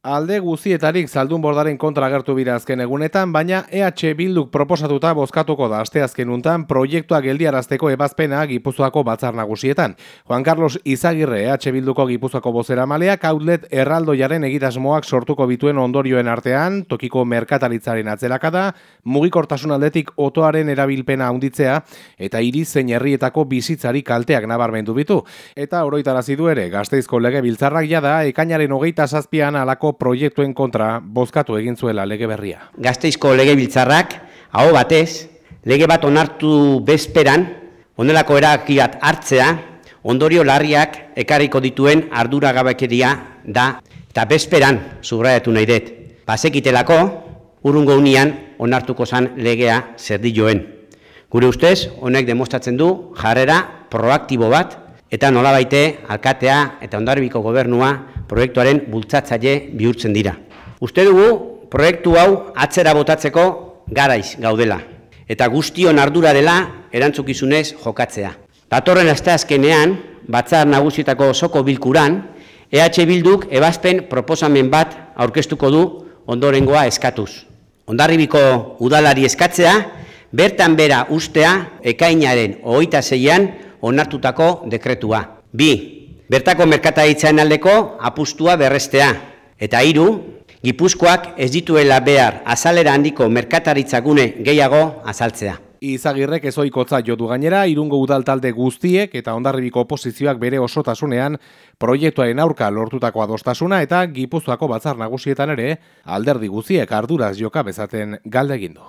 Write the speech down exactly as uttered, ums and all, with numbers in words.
Alde guzietarik zaldunbordaren kontra agertu bira azken egunetan, baina E H Bilduk proposatuta bozkatuko da asteazken untan proiektua geldiarazteko ebazpena Gipuzkoako batzar nagusietan. Juan Carlos Izagirre, E H Bilduko Gipuzkoako bozeramaleak outlet erraldoiaren egitasmoak sortuko bituen ondorioen artean, tokiko merkataritzaren atzerakada, mugikortasun aldetik otoaren erabilpena handitzea eta hiri zein herrietako bizitzari kalteak nabarmendu bitu. Eta oroitarazi du ere, Gasteizko legebiltzarrak jada ekainaren hogeita zazpian alako proiektuen kontra bozkatu egin zuela lege berria. Gasteizko legebiltzarrak aho batez lege bat onartu bezperan honelako erabaki bat hartzea ondorio larriak ekarriko dituen arduragabekeria da eta bezperan subraiatu nahi dut. Bazekitelako urrungo unian onartuko zan legea zerdilloen. Gure ustez honek demostratzen du jarrera proaktibo bat eta nolabaite alkatea eta Hondarribiko gobernua proiektuaren bultzatzaile bihurtzen dira. Uste dugu proiektu hau atzera botatzeko garaiz gaudela eta guztion ardura dela erantzukizunez jokatzea. Datorren asteazkenean batzar nagusietako osoko bilkuran E H Bilduk ebazpen proposamen bat aurkeztuko du ondorengoa eskatuz. Hondarribiko udalari eskatzea bertan bera ustea ekainaren hogeita seian onartutako dekretua. Bi, bertako merkataritzaren aldeko apustua berrestea. Eta hiru, Gipuzkoak ez dituela behar azalera handiko merkataritzagune gehiago azaltzea. Izagirrek ezoikotza jo du gainera, Irungo udal talde guztiek eta Hondarribiko oposizioak bere osotasunean proiektuaren aurka lortutako adostasuna eta Gipuzkoako batzar nagusietan ere alderdi guztiek arduraz joka bezaten galde egin du.